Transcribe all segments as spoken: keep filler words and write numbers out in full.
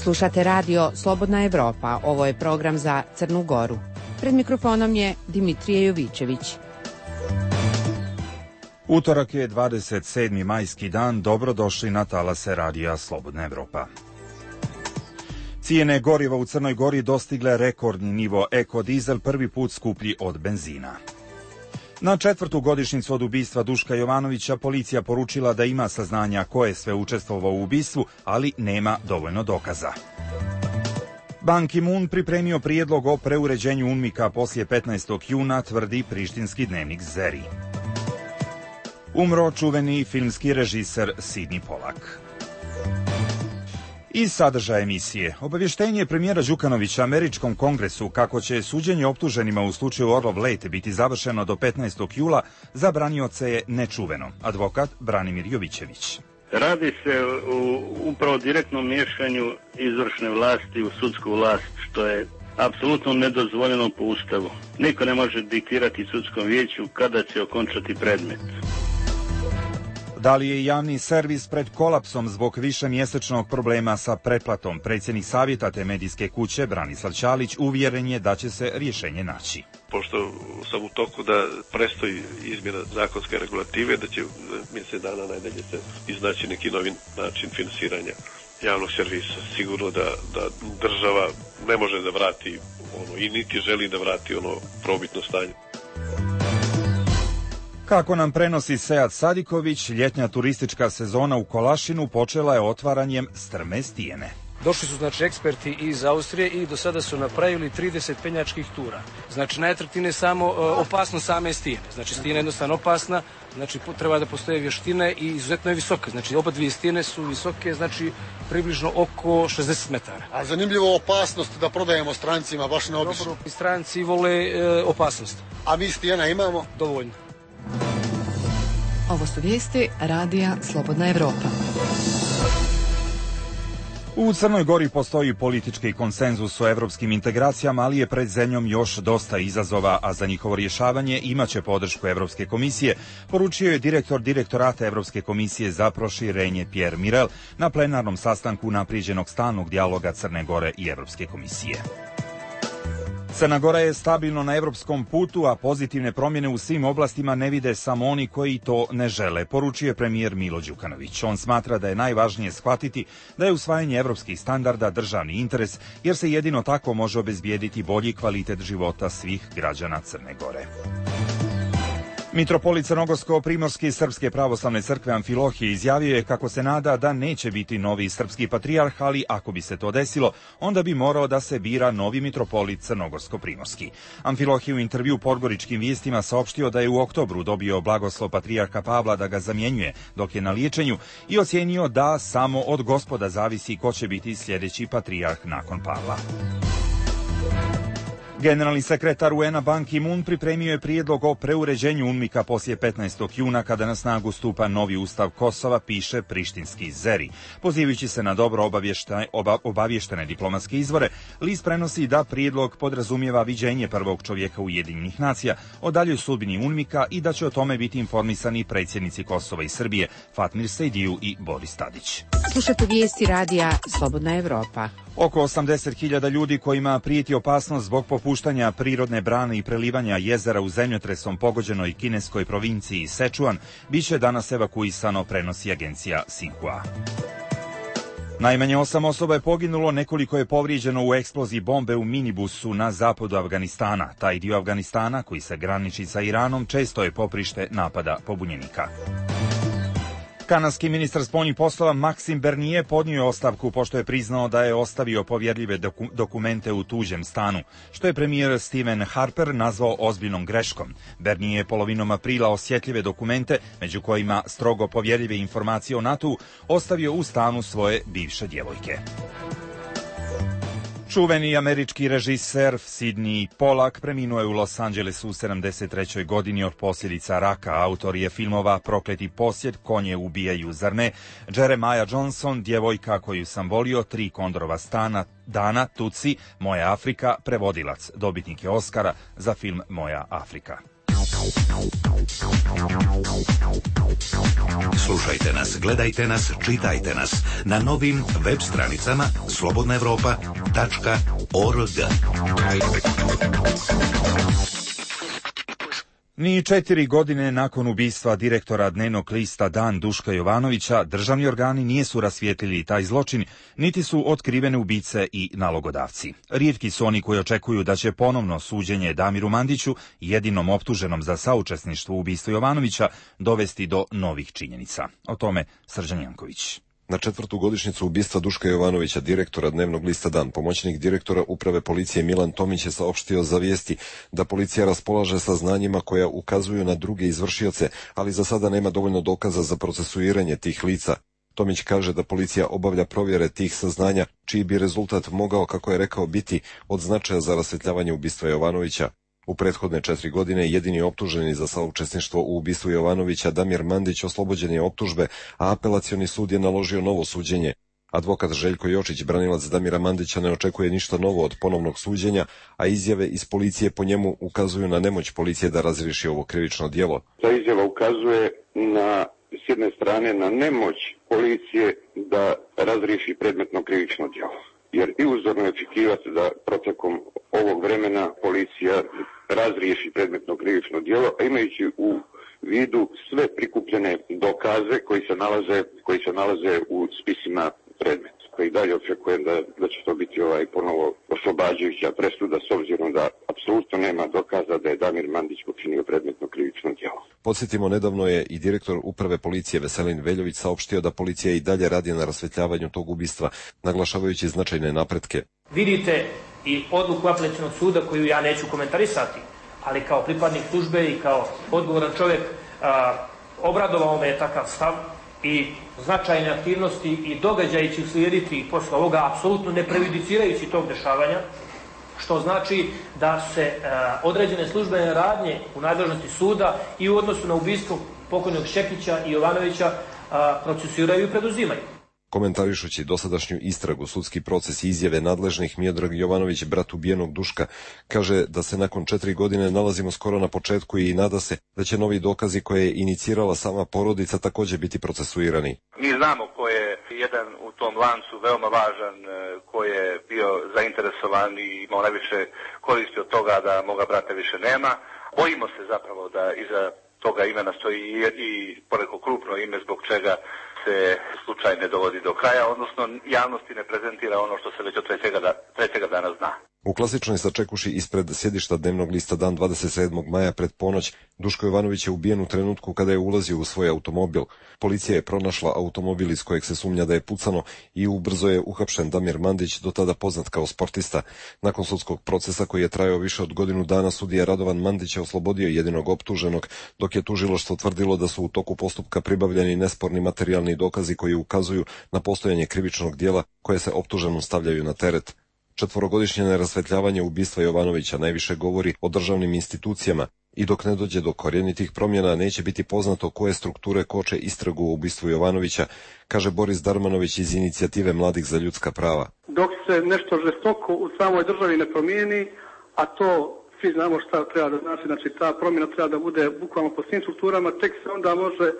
Slušate radio Slobodna Evropa. Ovo je program za Crnu Goru. Pred mikrofonom je Dimitrije Jovićević. Utorak je dvadeset sedmi majski dan. Dobrodošli na talase radija Slobodna Evropa. Cijene goriva u Crnoj Gori dostigle rekordni nivo. Ekodizel prvi put skuplji od benzina. Na četvrtu godišnjicu od ubistva Duška Jovanovića policija poručila da ima saznanja ko je sve učestvovao u ubistvu, ali nema dovoljno dokaza. Ban Ki-moon pripremio prijedlog o preuređenju UNMIK-a poslije petnaestog juna, tvrdi prištinski dnevnik Zeri. Umro čuveni filmski režiser Sidney Polak. Iz sadržaja emisije. Obavještenje premijera Đukanovića Američkom kongresu kako će suđenje optuženima u slučaju Orlov Late biti završeno do petnaestog jula za branioce je nečuveno. Advokat Branimir Jovićević. Radi se o upravo direktnom miješanju izvršne vlasti u sudsku vlast, što je apsolutno nedozvoljeno po Ustavu. Niko ne može diktirati sudskom vijeću kada će okončati predmet. Da li je javni servis pred kolapsom zbog višemjesečnog problema sa pretplatom? Predsjednik savjeta te medijske kuće, Branislav Ćalić, uvjeren je da će se rješenje naći. Pošto sam u toku da prestoji izmjena zakonske regulative, da će mjesec dana najdalje se iznaći neki novi način finansiranja javnog servisa. Sigurno da, da država ne može da vrati ono, i niti želi da vrati ono probitno stanje. Kako nam prenosi Sead Sadiković, ljetnja turistička sezona u Kolašinu počela je otvaranjem strme stijene. Došli su znači eksperti iz Austrije i do sada su napravili trideset penjačkih tura. Znači najatraktivnije je samo uh, opasnost same stijene. Znači stijena je jednostavno opasna, znači treba da postoje vještine i izuzetno je visoka. Znači oba dvije stijene su visoke, znači približno oko šezdeset metara. A zanimljivo opasnost da prodajemo strancima, baš neobično. Dobro, stranci vole uh, opasnost. A mi stijena imamo? Dovoljno. Ovo su vijesti radija Slobodna Evropa. U Crnoj Gori postoji politički konsenzus o evropskim integracijama, ali je pred zemljom još dosta izazova, a za njihovo rješavanje imaće podršku Evropske komisije, poručio je direktor direktorata Evropske komisije za proširenje Pierre Mirel na plenarnom sastanku unaprijeđenog stalnog dijaloga Crne Gore i Evropske komisije. Crna Gora je stabilno na evropskom putu, a pozitivne promjene u svim oblastima ne vide samo oni koji to ne žele, poručuje premijer Milo Đukanović. On smatra da je najvažnije shvatiti da je usvajanje evropskih standarda državni interes, jer se jedino tako može obezbijediti bolji kvalitet života svih građana Crne Gore. Mitropolit Crnogorsko-primorski Srpske pravoslavne crkve Amfilohije izjavio je kako se nada da neće biti novi srpski patrijarh, ali ako bi se to desilo, onda bi morao da se bira novi mitropolit Crnogorsko-primorski. Amfilohije u intervju Podgoričkim vijestima saopštio da je u oktobru dobio blagoslov patrijarha Pavla da ga zamjenjuje dok je na liječenju i ocijenio da samo od Gospoda zavisi ko će biti sljedeći patrijarh nakon Pavla. Generalni sekretar U N-a Ban Ki-moon pripremio je prijedlog o preuređenju UNMIK-a poslije petnaestog juna kada na snagu stupa novi ustav Kosova, piše prištinski Zeri. Pozivajući se na dobro obavještene, oba, obavještene diplomatske izvore, list prenosi da prijedlog podrazumijeva viđenje prvog čovjeka Ujedinjenih nacija o daljoj sudbini UNMIK-a i da će o tome biti informisani predsjednici Kosova i Srbije Fatmir Sejdiju i Boris Tadić. Slušate vijesti radija Slobodna Evropa. Oko osamdeset hiljada ljudi kojima prijeti opasnost zbog popuštanja prirodne brane i prelivanja jezera u zemljotresom pogođenoj kineskoj provinciji Sečuan biće danas evakuisano, prenosi agencija Sinhua. Najmanje osam osoba je poginulo, nekoliko je povrijeđeno u eksploziji bombe u minibusu na zapadu Afganistana. Taj dio Afganistana, koji se graniči sa Iranom, često je poprište napada pobunjenika. Kanadski ministar spoljnih poslova Maxime Bernier podnio je ostavku pošto je priznao da je ostavio povjerljive doku- dokumente u tuđem stanu, što je premijer Stephen Harper nazvao ozbiljnom greškom. Bernier je polovinom aprila osjetljive dokumente, među kojima strogo povjerljive informacije o NATO-u, ostavio u stanu svoje bivše djevojke. Čuveni američki režiser Sidney Polak preminuo je u Los Angelesu u sedamdeset trećoj godini od posljedica raka. Autor je filmova Prokleti posjed, Konje ubijaju, zar ne, Jeremiah Johnson, Djevojka koju sam volio, Tri kondorova stana, Dana, Tuci, Moja Afrika, prevodilac, dobitnik je Oscara za film Moja Afrika. Slušajte nas, gledajte nas, čitajte nas na novim web stranicama slobodna evropa tačka org. Ni četiri godine nakon ubistva direktora dnevnog lista Dan Duška Jovanovića, državni organi nisu rasvijetlili taj zločin, niti su otkrivene ubice i nalogodavci. Rijetki su oni koji očekuju da će ponovno suđenje Damiru Mandiću, jedinom optuženom za saučesništvo u ubistvu Jovanovića, dovesti do novih činjenica. O tome Srđan Janković. Na četvrtu godišnjicu ubistva Duška Jovanovića, direktora dnevnog lista Dan, pomoćnik direktora uprave policije Milan Tomić je saopštio za vijesti da policija raspolaže saznanjima koja ukazuju na druge izvršioce, ali za sada nema dovoljno dokaza za procesuiranje tih lica. Tomić kaže da policija obavlja provjere tih saznanja, čiji bi rezultat mogao, kako je rekao, biti od značaja za rasvjetljavanje ubistva Jovanovića. U prethodne četiri godine jedini optuženi za saučesništvo u ubistvu Jovanovića, Damir Mandić, oslobođen je optužbe, a apelacioni sud je naložio novo suđenje. Advokat Željko Jočić, branilac Damira Mandića, ne očekuje ništa novo od ponovnog suđenja, a izjave iz policije po njemu ukazuju na nemoć policije da razriješi ovo krivično djelo. Ta izjava ukazuje na, s jedne strane, na nemoć policije da razriješi predmetno krivično djelo. Jer i uzorno je očekivati da protekom ovog vremena policija razriješi predmetno krivično djelo, a imajući u vidu sve prikupljene dokaze koji se nalaze, koji se nalaze u spisima predmeta. I dalje očekujem da, da će to biti ovaj ponovo oslobađajuća presuda, s obzirom da apsolutno nema dokaza da je Damir Mandić počinio predmetno krivično djelo. Podsjetimo, nedavno je i direktor uprave policije Veselin Veljović saopštio da policija i dalje radi na rasvjetljavanju tog ubistva, naglašavajući značajne napretke. Vidite i odluku apelacionog suda koju ja neću komentarisati, ali kao pripadnik službe i kao odgovoran čovjek a, obradovao me je takav stav i značajne aktivnosti i događaji će uslijediti posle ovoga, apsolutno ne prejudicirajući tog dešavanja, što znači da se a, određene službene radnje u nadležnosti suda i u odnosu na ubistvo pokojnog Šekića i Jovanovića a, procesuiraju i preduzimaju. Komentarišući dosadašnju istragu, sudski proces i izjave nadležnih, Miodrag Jovanović, brat ubijenog Duška, kaže da se nakon četiri godine nalazimo skoro na početku i nada se da će novi dokazi koje je inicirala sama porodica također biti procesuirani. Mi znamo ko je jedan u tom lancu veoma važan, ko je bio zainteresovan i imao najviše koristi od toga da moga brata više nema. Bojimo se zapravo da iza toga imena stoji i poneko krupno ime zbog čega se slučaj ne dovodi do kraja, odnosno javnosti ne prezentira ono što se već od trećega, da, trećega dana zna. U klasičnoj sačekuši ispred sjedišta dnevnog lista Dan dvadeset sedmog maja pred ponoć, Duško Jovanović je ubijen u trenutku kada je ulazio u svoj automobil. Policija je pronašla automobil iz kojeg se sumnja da je pucano i ubrzo je uhapšen Damir Mandić, do tada poznat kao sportista. Nakon sudskog procesa koji je trajao više od godinu dana, sudija Radovan Mandić je oslobodio jedinog optuženog, dok je tužilaštvo tvrdilo da su u toku postupka pribavljeni nesporni materijalni dokazi koji ukazuju na postojanje krivičnog djela koje se optuženom stavljaju na teret. Četvorogodišnje nerasvetljavanje ubistva Jovanovića najviše govori o državnim institucijama i dok ne dođe do korjenitih promjena neće biti poznato koje strukture koče istragu o ubistvu Jovanovića, kaže Boris Darmanović iz Inicijative mladih za ljudska prava. Dok se nešto žestoko u samoj državi ne promijeni, a to svi znamo šta treba da znači, znači ta promjena treba da bude bukvalno po svim strukturama, tek se onda može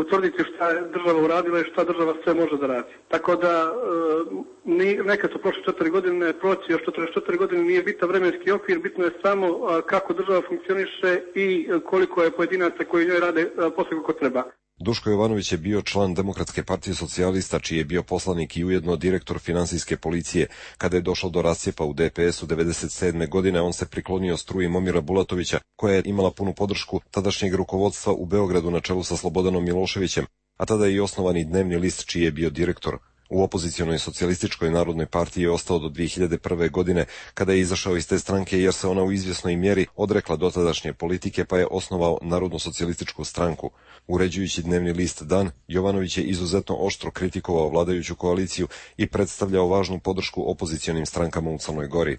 utvrditi šta je država uradila i šta država sve može da radi. Tako da e, nekad su prošle četiri godine, proći još četrdeset četiri godine nije bitan vremenski okvir, bitno je samo a, kako država funkcioniše i koliko je pojedinaca koji njoj rade a, posle kako treba. Duško Jovanović je bio član Demokratske partije socijalista, čiji je bio poslanik i ujedno direktor finansijske policije. Kada je došlo do rascijepa u D P S u devedeset sedme godine, on se priklonio struji Momira Bulatovića, koja je imala punu podršku tadašnjeg rukovodstva u Beogradu na čelu sa Slobodanom Miloševićem, a tada je i osnovani dnevni list čiji je bio direktor. U opozicionoj socijalističkoj narodnoj partiji je ostao do dvije hiljade prve godine, kada je izašao iz te stranke jer se ona u izvjesnoj mjeri odrekla dotadašnje politike, pa je osnovao Narodno socijalističku stranku. Uređujući dnevni list Dan, Jovanović je izuzetno oštro kritikovao vladajuću koaliciju i predstavljao važnu podršku opozicionim strankama u Crnoj Gori.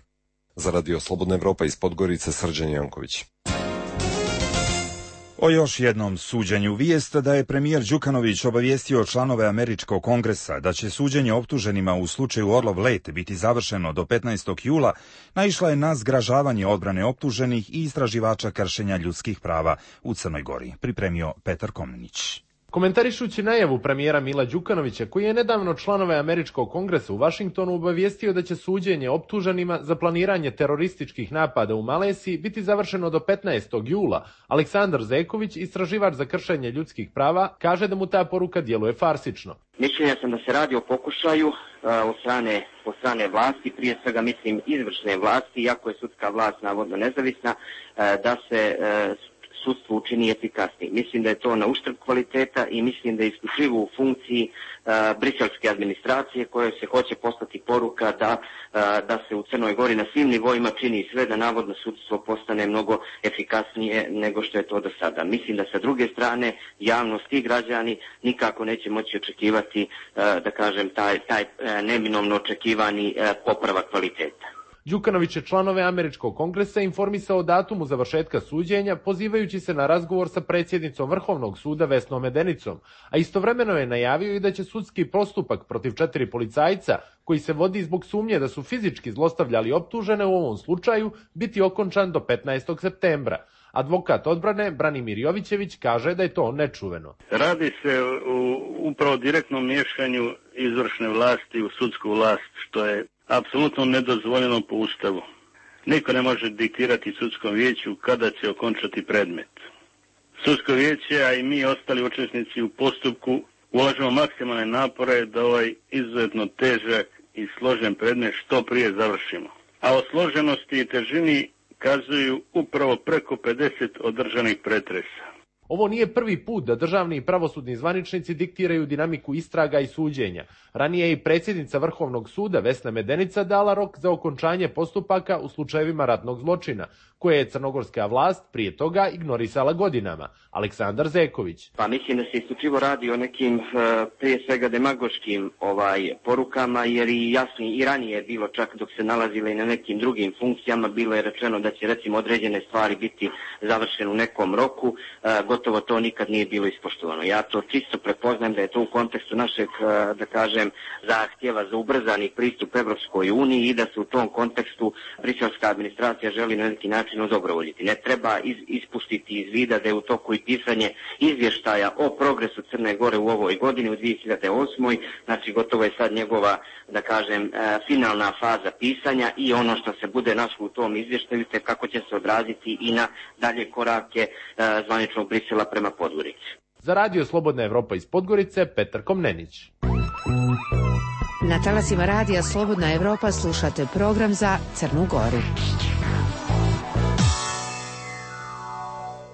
Za Radio Slobodna Evropa iz Podgorice, Srđan Janković. O još jednom suđenju. Vijest da je premijer Đukanović obavijestio članove Američkog kongresa da će suđenje optuženima u slučaju Orlov let biti završeno do petnaestog jula naišla je na zgražavanje odbrane optuženih i istraživača kršenja ljudskih prava u Crnoj Gori. Pripremio Petar Komnenić. Komentarišući najavu premijera Mila Đukanovića, koji je nedavno članove Američkog kongresa u Vašingtonu obavijestio da će suđenje optuženima za planiranje terorističkih napada u Maleziji biti završeno do petnaestog jula, Aleksandar Zeković, istraživač za kršenje ljudskih prava, kaže da mu ta poruka djeluje farsično. Mišljenja sam da se radi o pokušaju uh, od strane, od strane vlasti, prije svega mislim izvršne vlasti, iako je sudska vlast navodno nezavisna, uh, da se uh, sudstvo učini efikasniji. Mislim da je to na uštrb kvaliteta i mislim da je isključivo u funkciji uh, briselske administracije koje se hoće poslati poruka da, uh, da se u Crnoj Gori na svim nivoima čini sve da navodno sudstvo postane mnogo efikasnije nego što je to do sada. Mislim da sa druge strane javnost i građani nikako neće moći očekivati, uh, da kažem, taj, taj uh, neminovno očekivani uh, popravak kvaliteta. Đukanović je članove Američkog kongresa informisao o datumu završetka suđenja, pozivajući se na razgovor sa predsjednicom Vrhovnog suda Vesnom Medenicom, a istovremeno je najavio i da će sudski postupak protiv četiri policajca, koji se vodi zbog sumnje da su fizički zlostavljali optužene u ovom slučaju, biti okončan do petnaestog septembra. Advokat odbrane Branimir Jovićević kaže da je to nečuveno. Radi se o upravo direktnom miješanju izvršne vlasti u sudsku vlast, što je apsolutno nedozvoljeno po Ustavu. Niko ne može diktirati sudskom vijeću kada će okončati predmet. Sudsko vijeće, a i mi ostali učesnici u postupku, ulažemo maksimalne napore da ovaj izuzetno težak i složen predmet što prije završimo. A o složenosti i težini kazuju upravo preko pedeset održanih pretresa. Ovo nije prvi put da državni i pravosudni zvaničnici diktiraju dinamiku istraga i suđenja. Ranije je i predsjednica Vrhovnog suda Vesna Medenica dala rok za okončanje postupaka u slučajevima ratnog zločina, koje je crnogorska vlast prije toga ignorisala godinama. Aleksandar Zeković. Pa mislim da se isključivo radi o nekim prije svega demagoškim ovaj porukama, jer i jasno i ranije je bilo, čak dok se nalazile i na nekim drugim funkcijama, bilo je rečeno da će recimo određene stvari biti završene u nekom roku, gotovo to nikad nije bilo ispoštovano. Ja to čisto prepoznajem da je to u kontekstu našeg, da kažem, zahtjeva za ubrzani pristup Evropskoj uniji i da se u tom kontekstu briselska administracija želi na neki način odobrovoljiti. Ne treba iz, ispustiti iz vida da je u toku i pisanje izvještaja o progresu Crne Gore u ovoj godini, u dvije hiljade osmoj. Znači gotovo je sad njegova, da kažem, finalna faza pisanja i ono što se bude našlo u tom izvještaju te kako će se odraziti i na dalje korake zvaničnog Brisela prema Podgorici. Za radio Slobodna Evropa iz Podgorice, Petar Komnenić. Na talasima radija Slobodna Evropa slušate program za Crnu Goru.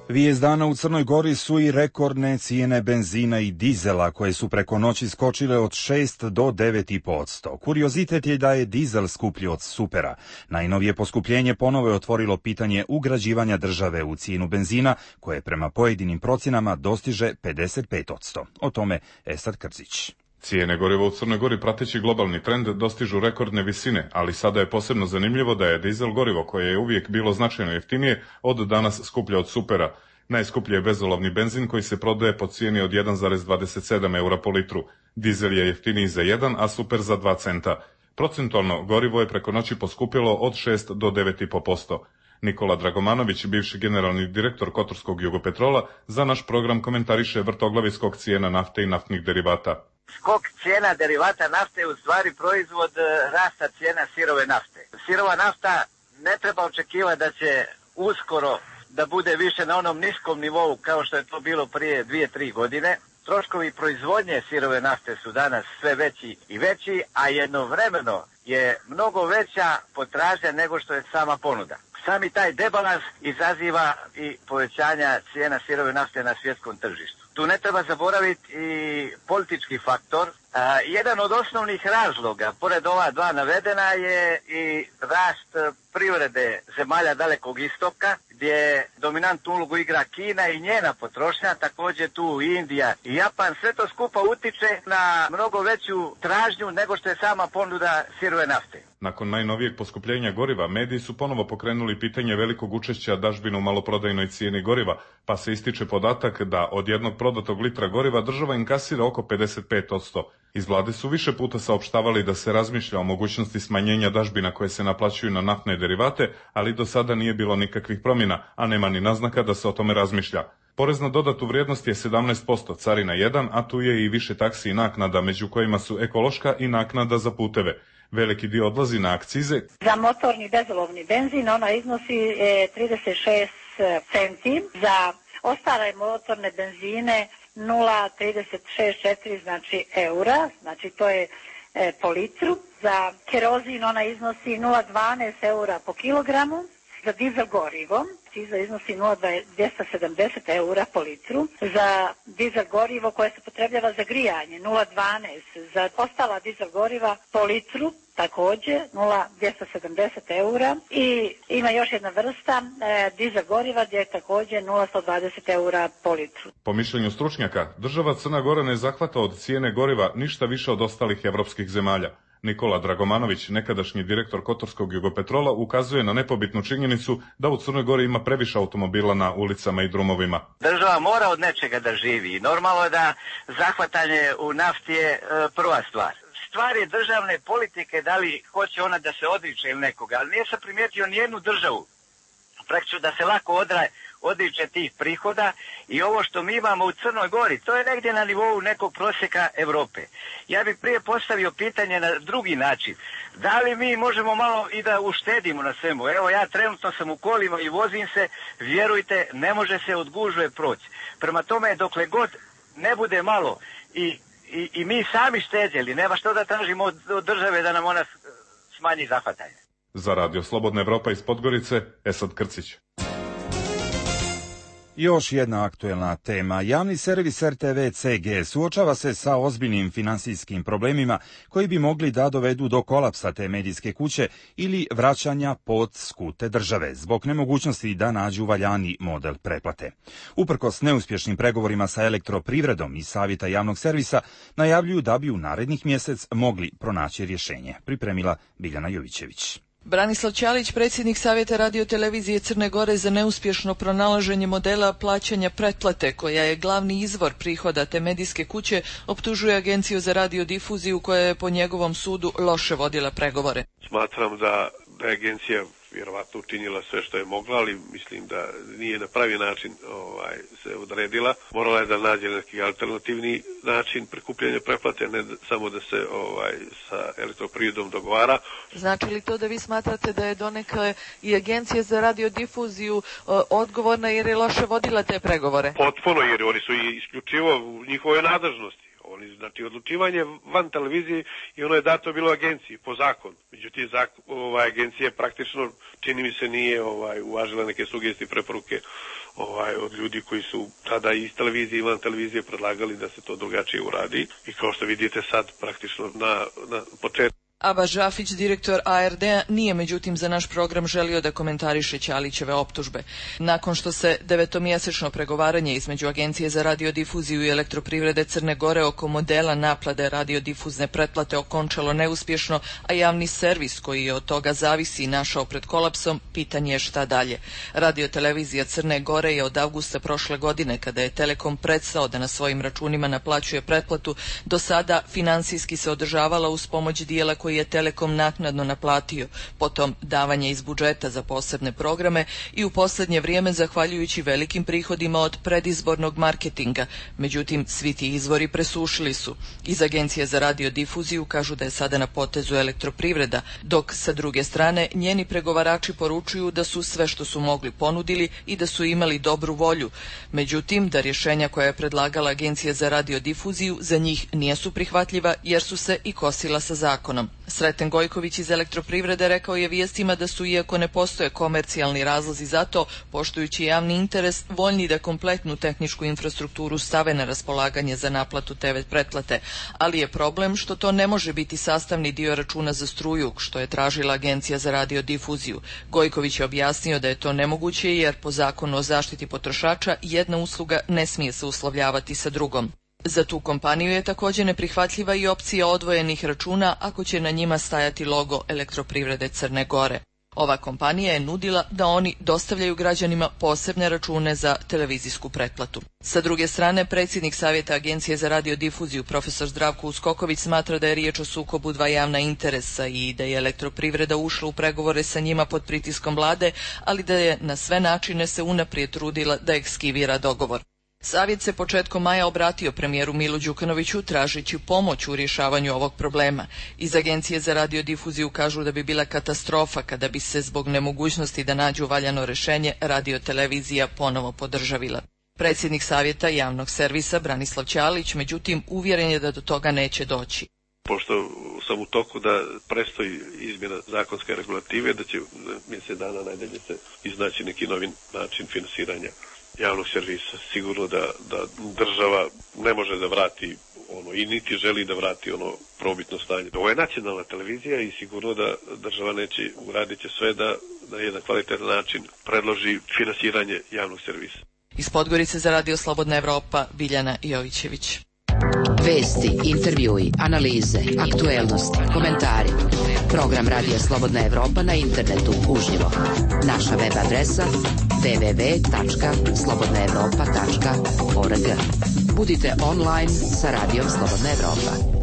Vijest dana u Crnoj Gori su i rekordne cijene benzina i dizela koje su preko noći skočile od šest do devet i po posto. Kuriozitet je da je dizel skuplji od supera. Najnovije poskupljenje ponovo je otvorilo pitanje ugrađivanja države u cijenu benzina, koje prema pojedinim procjenama dostiže pedeset pet posto. O tome Esad Krzić. Cijene goriva u Crnoj Gori prateći globalni trend dostižu rekordne visine, ali sada je posebno zanimljivo da je dizel gorivo, koje je uvijek bilo značajno jeftinije, od danas skuplje od supera. Najskuplji je bezolovni benzin koji se prodaje po cijeni od jedan zarez dvadeset sedam eura po litru. Dizel je jeftiniji za jedan, a super za dva centa. Procentualno gorivo je preko noći poskupilo od šest do devet i po posto. Nikola Dragomanović, bivši generalni direktor Kotorskog Jugopetrola, za naš program komentariše vrtoglavi skok cijena nafte i naftnih derivata. Skok cijena derivata nafte je u stvari proizvod rasta cijena sirove nafte. Sirova nafta ne treba očekivati da će uskoro da bude više na onom niskom nivou kao što je to bilo prije dvije, tri godine. Troškovi proizvodnje sirove nafte su danas sve veći i veći, a jednovremeno je mnogo veća potražnja nego što je sama ponuda. Sami taj debalans izaziva i povećanja cijena sirove nafte na svjetskom tržištu. Tu ne treba zaboraviti i politički faktor. A, jedan od osnovnih razloga, pored ova dva navedena, je i rast privrede zemalja Dalekog istoka, gdje dominantnu ulogu igra Kina i njena potrošnja, također tu Indija i Japan, sve to skupa utiče na mnogo veću tražnju nego što je sama ponuda sirove nafte. Nakon najnovijeg poskupljenja goriva, mediji su ponovo pokrenuli pitanje velikog učešća dažbina u maloprodajnoj cijeni goriva, pa se ističe podatak da od jednog prodatog litra goriva država inkasira oko pedeset pet posto. Iz vlade su više puta saopštavali da se razmišlja o mogućnosti smanjenja dažbina koje se naplaćuju na naftne derivate, ali do sada nije bilo nikakvih promjena, a nema ni naznaka da se o tome razmišlja. Porez na dodatu vrijednost je sedamnaest posto, carina jedan, a tu je i više taksi i naknada, među kojima su ekološka i naknada za puteve. Veliki dio odlazi na akcize. Za motorni bezolovni benzin ona iznosi e, trideset šest centi, za ostale motorne benzine nula zarez trideset šest četiri znači eura, znači to je e, po litru. Za kerozin ona iznosi nula zarez dvanaest eura po kilogramu, za dizel gorivo akciza iznosi nula zarez dvjesto sedamdeset eura po litru, za dizel gorivo koje se potrebljava za grijanje nula zarez dvanaest, za ostala dizel goriva po litru također nula zarez dvjesto sedamdeset eura i ima još jedna vrsta e, dizel goriva gdje je također nula zarez sto dvadeset eura po litru. Po mišljenju stručnjaka, država Crna Gora ne zahvata od cijene goriva ništa više od ostalih evropskih zemalja. Nikola Dragomanović, nekadašnji direktor Kotorskog Jugopetrola, ukazuje na nepobitnu činjenicu da u Crnoj Gori ima previše automobila na ulicama i drumovima. Država mora od nečega da živi i normalno je da zahvatanje u nafti je e, prva stvar. Stvar je državne politike, da li hoće ona da se odriče ili nekoga, ali nije se primijetio nijednu državu praktično da se lako odra, odriče tih prihoda i ovo što mi imamo u Crnoj Gori, to je negdje na nivou nekog prosjeka Europe. Ja bih prije postavio pitanje na drugi način. Da li mi možemo malo i da uštedimo na svemu? Evo ja trenutno sam u kolima i vozim se, vjerujte, ne može se od gužve proći. Prema tome, dokle god ne bude malo i I, i mi sami štedjeli, nema što da tražimo od, od države da nam ona smanji zahvatanje. Za Radio Slobodna Evropa iz Podgorice, Esad Krcić. Još jedna aktuelna tema. Javni servis R T V C G suočava se sa ozbiljnim finansijskim problemima koji bi mogli da dovedu do kolapsa te medijske kuće ili vraćanja pod skute države, zbog nemogućnosti da nađu valjani model pretplate. Uprkos neuspješnim pregovorima sa Elektroprivredom i Savjeta javnog servisa, najavljuju da bi u narednih mjesec mogli pronaći rješenje. Pripremila Biljana Jovićević. Branislav Ćalić, predsjednik Savjeta radiotelevizije Crne Gore za neuspješno pronalaženje modela plaćanja pretplate, koja je glavni izvor prihoda te medijske kuće, optužuje Agenciju za radiodifuziju koja je po njegovom sudu loše vodila pregovore. Smatram da, da je agencija vjerovatno učinila sve što je mogla, ali mislim da nije na pravi način ovaj, se odredila. Morala je da nađe neki alternativni način prikupljanja pretplate, ne samo da se ovaj, sa Elektroprivredom dogovara. Znači li to da vi smatrate da je donekle i Agencija za radiodifuziju uh, odgovorna jer je loše vodila te pregovore? Potpuno, jer oni su isključivo u njihovoj nadležnosti. Oni, znači, odlučivanje van televizije i ono je dato bilo agenciji po zakonu. Međutim, zakon, ovaj, agencija praktično, čini mi se, nije ovaj, uvažila neke sugestije i preporuke ovaj, od ljudi koji su tada iz televizije i van televizije predlagali da se to drugačije uradi. I kao što vidite sad, praktično na, na početku. Aba Žafić, direktor A R D-a, nije međutim za naš program želio da komentariše Ćalićeve optužbe. Nakon što se devetomjesečno pregovaranje između Agencije za radiodifuziju i Elektroprivrede Crne Gore oko modela naplate radiodifuzne pretplate okončalo neuspješno, a javni servis koji je od toga zavisi našao pred kolapsom, pitanje je šta dalje. Radiotelevizija Crne Gore je od avgusta prošle godine, kada je Telekom prestao da na svojim računima naplaćuje pretplatu, do sada finansijski se održavala uz pomoć dijela koji je Telekom naknadno naplatio, potom davanje iz budžeta za posebne programe i u posljednje vrijeme zahvaljujući velikim prihodima od predizbornog marketinga. Međutim, svi ti izvori presušili su. Iz Agencije za radiodifuziju kažu da je sada na potezu Elektroprivreda, dok sa druge strane njeni pregovarači poručuju da su sve što su mogli ponudili i da su imali dobru volju. Međutim, da rješenja koja je predlagala Agencija za radiodifuziju za njih nisu prihvatljiva jer su se i kosila sa zakonom. Sreten Gojković iz Elektroprivrede rekao je vijestima da su, iako ne postoje komercijalni razlozi za to, poštujući javni interes, voljni da kompletnu tehničku infrastrukturu stave na raspolaganje za naplatu te ve pretplate, ali je problem što to ne može biti sastavni dio računa za struju, što je tražila Agencija za radiodifuziju. Gojković je objasnio da je to nemoguće jer po zakonu o zaštiti potrošača jedna usluga ne smije se uslovljavati sa drugom. Za tu kompaniju je također neprihvatljiva i opcija odvojenih računa ako će na njima stajati logo Elektroprivrede Crne Gore. Ova kompanija je nudila da oni dostavljaju građanima posebne račune za televizijsku pretplatu. Sa druge strane, predsjednik Savjeta Agencije za radiodifuziju profesor Zdravko Uskoković smatra da je riječ o sukobu dva javna interesa i da je Elektroprivreda ušla u pregovore sa njima pod pritiskom vlade, ali da je na sve načine se unaprijed trudila da ekskivira dogovor. Savjet se početkom maja obratio premijeru Milu Đukanoviću tražeći pomoć u rješavanju ovog problema. Iz Agencije za radiodifuziju kažu da bi bila katastrofa kada bi se zbog nemogućnosti da nađu valjano rješenje radiotelevizija ponovo podržavila. Predsjednik Savjeta javnog servisa Branislav Ćalić, međutim, uvjeren je da do toga neće doći. Pošto sam u toku da prestoji izmjena zakonske regulative, da će mjesec dana najdalje se iznaći neki novi način finansiranja javnog servisa. Sigurno da, da država ne može da vrati ono i niti želi da vrati ono probitno stanje. Ovo je nacionalna televizija i sigurno da država neće uradit će sve da na jedan kvalitetan način predloži finansiranje javnog servisa. Iz Podgorice za Radio Slobodna Evropa, Biljana Jovićević. Vesti, intervjui, analize, aktuelnosti, komentari. Program Radija Slobodna Evropa na internetu uživo. Naša web adresa w w w tačka slobodna evropa tačka org. Budite online sa Radijom Slobodna Evropa.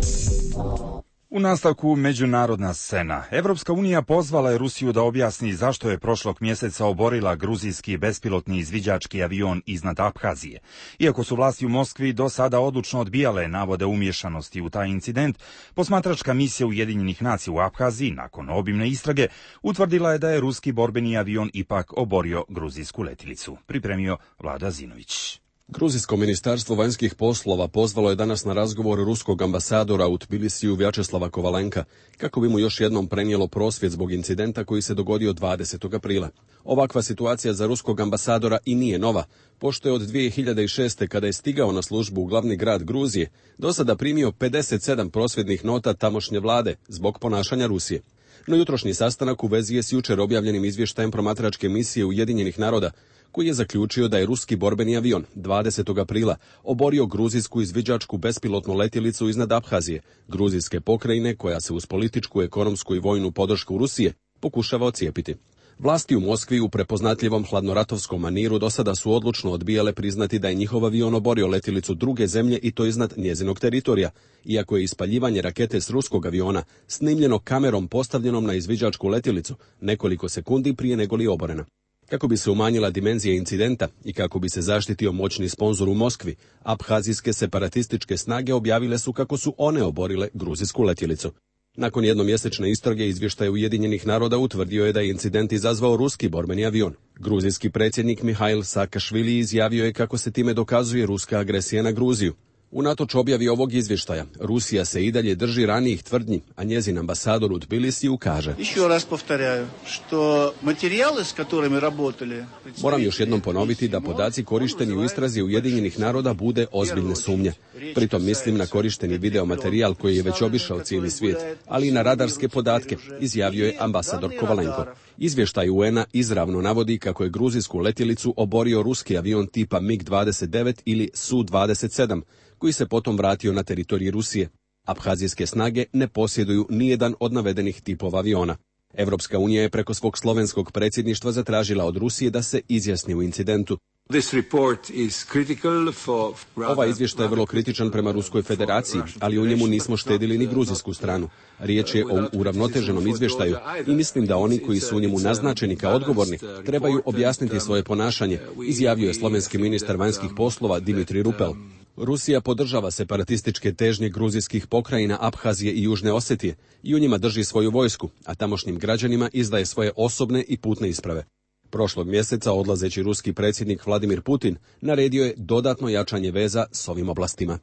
U nastavku međunarodna scena. Evropska unija pozvala je Rusiju da objasni zašto je prošlog mjeseca oborila gruzijski bespilotni izviđački avion iznad Abhazije. Iako su vlasti u Moskvi do sada odlučno odbijale navode umješanosti u taj incident, posmatračka misija Ujedinjenih nacija u Abhaziji, nakon obimne istrage, utvrdila je da je ruski borbeni avion ipak oborio gruzijsku letilicu. Pripremio Vlada Zinović. Gruzijsko ministarstvo vanjskih poslova pozvalo je danas na razgovor ruskog ambasadora u Tbilisiju Vjačeslava Kovalenka kako bi mu još jednom prenijelo prosvjed zbog incidenta koji se dogodio dvadesetog aprila. Ovakva situacija za ruskog ambasadora i nije nova, pošto je od dvije hiljade šeste. kada je stigao na službu u glavni grad Gruzije, do sada primio pedeset sedam prosvjednih nota tamošnje vlade zbog ponašanja Rusije. No jutrošnji sastanak u vezi je s jučer objavljenim izvještajem promatračke misije Ujedinjenih naroda, koji je zaključio da je ruski borbeni avion dvadesetog aprila oborio gruzijsku izviđačku bespilotnu letjelicu iznad Abhazije, gruzijske pokrajine koja se uz političku, ekonomsku i vojnu podršku Rusije pokušava ocijepiti. Vlasti u Moskvi u prepoznatljivom hladnoratovskom maniru do sada su odlučno odbijale priznati da je njihov avion oborio letjelicu druge zemlje i to iznad njezinog teritorija, iako je ispaljivanje rakete s ruskog aviona snimljeno kamerom postavljenom na izviđačku letjelicu nekoliko sekundi prije nego li oborena. Kako bi se umanjila dimenzija incidenta i kako bi se zaštitio moćni sponzor u Moskvi, abhazijske separatističke snage objavile su kako su one oborile gruzijsku letjelicu. Nakon jednomjesečne istrage izvještaj Ujedinjenih naroda utvrdio je da je incident izazvao ruski borbeni avion. Gruzijski predsjednik Mihail Saakašvili izjavio je kako se time dokazuje ruska agresija na Gruziju. Unatoč objavi ovog izvještaja, Rusija se i dalje drži ranijih tvrdnji, a njezin ambasador u Tbilisiju kaže: Moram još jednom ponoviti da podaci korišteni u istrazi Ujedinjenih naroda bude ozbiljne sumnje. Pritom mislim na korišteni videomaterijal koji je već obišao cijeli svijet, ali i na radarske podatke, izjavio je ambasador Kovalenko. Izvještaj U N-a izravno navodi kako je gruzijsku letjelicu oborio ruski avion tipa mig dvadeset devet ili Su dvadeset sedam, koji se potom vratio na teritorij Rusije. Abhazijske snage ne posjeduju nijedan od navedenih tipova aviona. Evropska unija je preko svog slovenskog predsjedništva zatražila od Rusije da se izjasni u incidentu. Ovaj izvještaj je vrlo kritičan prema Ruskoj federaciji, ali u njemu nismo štedili ni gruzijsku stranu. Riječ je o uravnoteženom izvještaju i mislim da oni koji su u njemu naznačeni kao odgovorni trebaju objasniti svoje ponašanje, izjavio je slovenski ministar vanjskih poslova Dimitri Rupel. Rusija podržava separatističke težnje gruzijskih pokrajina Abhazije i Južne Osetije i u njima drži svoju vojsku, a tamošnjim građanima izdaje svoje osobne i putne isprave. Prošlog mjeseca odlazeći ruski predsjednik Vladimir Putin naredio je dodatno jačanje veza s ovim oblastima.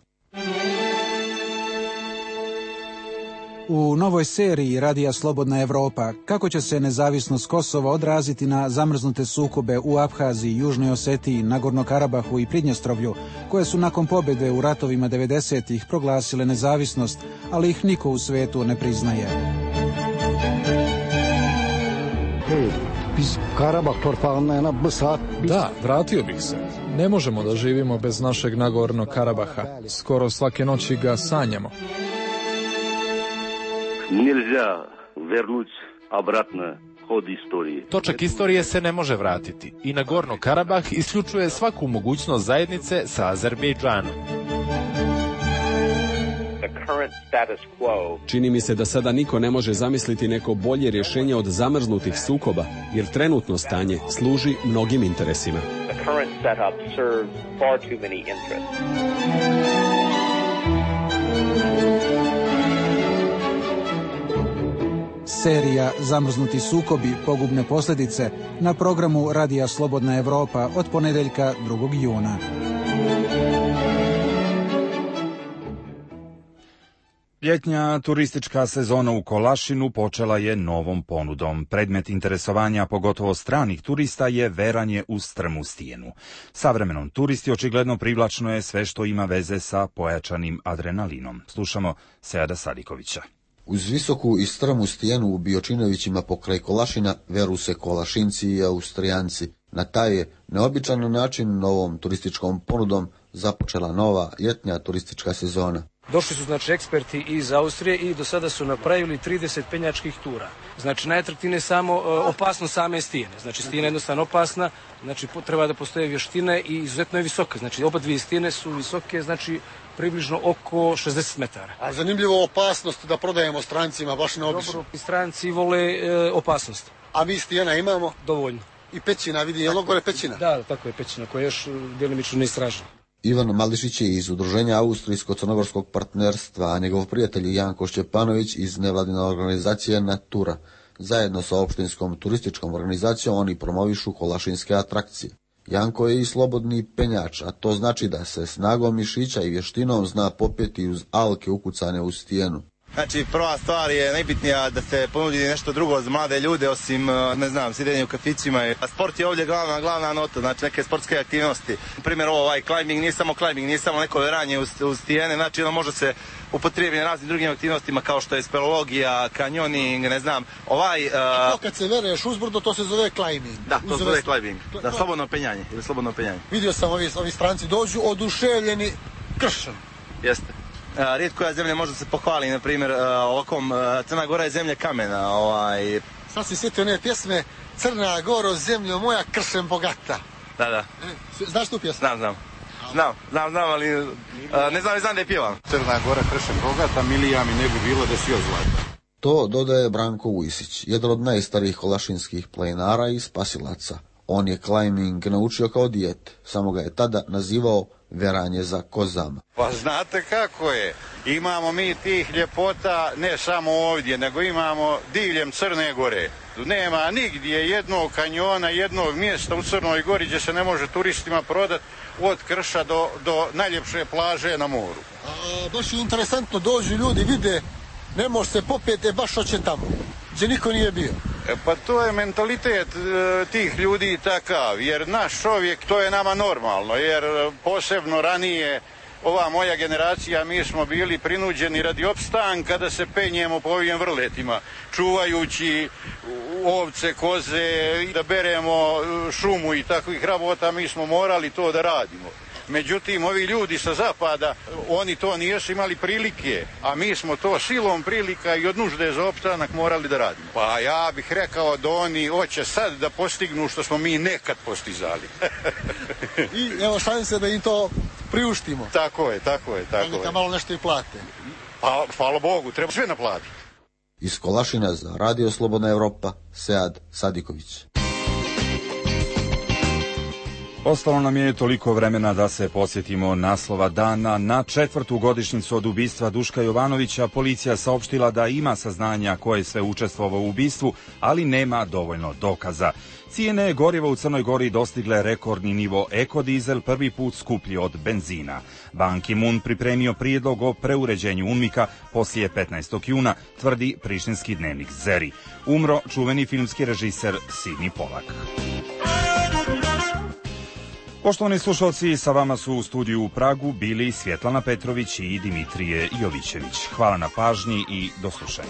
U novoj seriji Radija Slobodna Evropa kako će se nezavisnost Kosova odraziti na zamrznute sukobe u Abhaziji, Južnoj Osetiji, Nagorno Karabahu i Pridnjestrovlju, koje su nakon pobjede u ratovima devedesetih proglasile nezavisnost, ali ih niko u svetu ne priznaje. Da, vratio bih se. Ne možemo da živimo bez našeg Nagorno Karabaha. Skoro svake noći ga sanjamo. Nельзя вернуть обратно ход истории. Točak istorije se ne može vratiti i Nagorno Karabah isključuje svaku mogućnost zajednice sa Azerbejdžanom. Čini mi se da sada niko ne može zamisliti neko bolje rješenje od zamrznutih sukoba, jer trenutno stanje služi mnogim interesima. Serija Zamrznuti sukobi, pogubne posljedice na programu Radija Slobodna Evropa od ponedeljka drugog juna. Ljetnja turistička sezona u Kolašinu počela je novom ponudom. Predmet interesovanja, pogotovo stranih turista, je veranje u strmu stijenu. Savremenom turisti očigledno privlačno je sve što ima veze sa pojačanim adrenalinom. Slušamo Seada Sadikovića. Uz visoku i strmu stijenu u Biočinovićima pokraj Kolašina veru se Kolašinci i Austrijanci. Na taj je neobičan način novom turističkom ponudom započela nova ljetnja turistička sezona. Došli su znači eksperti iz Austrije i do sada su napravili trideset penjačkih tura. Znači najatraktivnije je samo uh, opasnost same stijene. Znači stijena je jednostavno opasna, znači treba da postoje vještine i izuzetno je visoka. Znači oba dvije stijene su visoke, znači približno oko šezdeset metara. A zanimljivo opasnost da prodajemo strancima, baš neobično. Dobro, stranci vole e, opasnost. A mi stijena imamo? Dovoljno. I pećina, vidi, je li gore pećina? Da, tako je pećina koja je još djelimično neistražena. Ivan Mališić je iz Udruženja Austrijsko-Crnogorskog partnerstva, a njegov prijatelj Janko Šćepanović iz nevladine organizacije Natura. Zajedno sa opštinskom turističkom organizacijom oni promovišu kolašinske atrakcije. Janko je i slobodni penjač, a to znači da se snagom mišića i vještinom zna popeti uz alke ukucane u stijenu. Znači, prva stvar je najbitnija da se ponudi nešto drugo za mlade ljude, osim, ne znam, sjedenje u kafićima. A sport je ovdje glavna, glavna nota, znači neke sportske aktivnosti. Na primjer, ovaj climbing nije samo climbing, nije samo neko veranje uz, uz stijene, znači ono može se upotrijebiti na raznim drugim aktivnostima kao što je speleologija, kanjoning, ne znam, ovaj... Uh... A to kad se vereš uzbrdo, to se zove climbing. Da, to se zove climbing, da, slobodno penjanje, ili slobodno penjanje. Vidio sam, ovi, ovi stranci dođu oduševljeni kršom. Jeste. Uh, rijetko koja zemlja može se pohvali, na primjer, uh, ovakvom, uh, Crna Gora je zemlja kamena. Ovaj... Sad si sjetio one pjesme Crna Goro, zemljo moja, kršem bogata. Da, da. E, znaš tu pjesmu? Znam, znam. Znam, znam, znam, ali uh, ne znam, ne znam da je pjevam. Crna Gora, kršem bogata, milija mi ne bi bilo da si ozlata. To dodaje Branko Vujsić, jedan od najstarijih kolašinskih planinara i spasilaca. On je climbing naučio kao dijete, samo ga je tada nazivao veranje za kozama. Pa znate kako je, imamo mi tih ljepota ne samo ovdje, nego imamo diljem Crne Gore. Nema nigdje jednog kanjona, jednog mjesta u Crnoj Gori gdje se ne može turistima prodati od krša do, do najljepše plaže na moru. A, baš je interesantno, dođu ljudi, vide, ne može se popeti, baš hoće tamo, gdje niko nije bio. E, pa to je mentalitet e, tih ljudi takav, jer naš čovjek, to je nama normalno, jer posebno ranije ova moja generacija, mi smo bili prinuđeni radi opstanka da se penjemo po ovim vrletima, čuvajući ovce, koze, da beremo šumu i takvih rabota, mi smo morali to da radimo. Međutim, ovi ljudi sa zapada, oni to nisu imali prilike, a mi smo to silom prilika i od nužde za opstanak morali da radimo. Pa ja bih rekao da oni hoće sad da postignu što smo mi nekad postizali. I evo šanse da im to priuštimo. Tako je, tako je, tako je. Neka malo nešto i plate. Pa, hvala Bogu, treba sve naplatiti. Iz Kolašina za Radio Slobodna Evropa, Sead Sadiković. Ostalo nam je toliko vremena da se podsjetimo naslova dana. Na četvrtu godišnjicu od ubistva Duška Jovanovića policija saopštila da ima saznanja ko je sve učestvovao u ubistvu, ali nema dovoljno dokaza. Cijene goriva u Crnoj Gori dostigle rekordni nivo, ekodizel prvi put skuplji od benzina. Ban Ki-moon pripremio prijedlog o preuređenju UNMIK-a poslije petnaestog juna, tvrdi prištinski dnevnik Zeri. Umro čuveni filmski režiser Sidney Polak. Poštovani slušalci, sa vama su u studiju u Pragu bili Svjetlana Petrović i Dimitrije Jovićević. Hvala na pažnji i do slušanja.